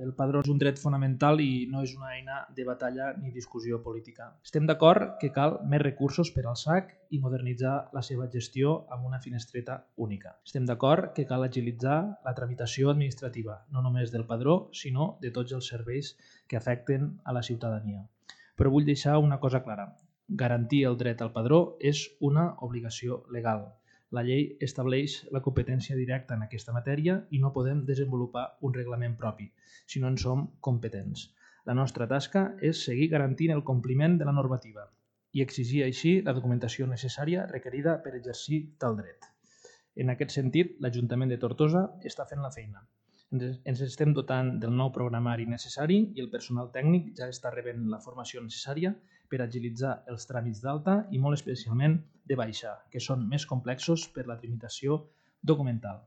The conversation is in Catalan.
El padró és un dret fonamental i no és una eina de batalla ni discussió política. Estem d'acord que cal més recursos per al SAC i modernitzar la seva gestió amb una finestreta única. Estem d'acord que cal agilitzar la tramitació administrativa, no només del padró, sinó de tots els serveis que afecten a la ciutadania. Però vull deixar una cosa clara. Garantir el dret al padró és una obligació legal. La llei estableix la competència directa en aquesta matèria i no podem desenvolupar un reglament propi, si no en som competents. La nostra tasca és seguir garantint el compliment de la normativa i exigir així la documentació necessària requerida per exercir tal dret. En aquest sentit, l'Ajuntament de Tortosa està fent la feina. Ens estem dotant del nou programari necessari i el personal tècnic ja està rebent la formació necessària per agilitzar els tràmits d'alta i molt especialment de baixa, que són més complexos per la tramitació documental.